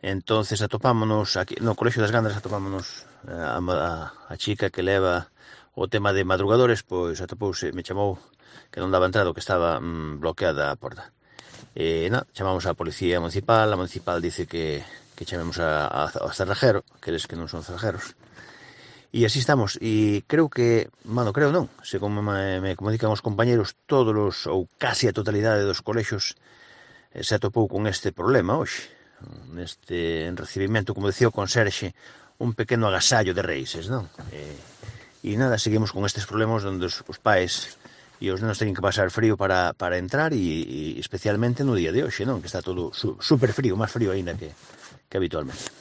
Entonces atopámonos aquí no Colexio das Gandras, atopámonos a chica que leva o tema de madrugadores, pois atopouse, me chamou que non daba entrado, que estaba bloqueada a porta. Chamamos á policía municipal, a municipal dice que chamemos ao cerrajero, que eles que non son cerrajeros. E así estamos, e creo que, creo non, se como me comunican os compañeros, todos os, ou casi a totalidade dos colexios se atopou con este problema hoxe, neste recibimento, como decía o conserxe, un pequeno agasallo de Reixes, non? E nada, seguimos con estes problemas onde os pais e os nenos teñen que pasar frío para entrar e especialmente no día de hoxe, non? Que está todo super frío, máis frío aínda que habitualmente.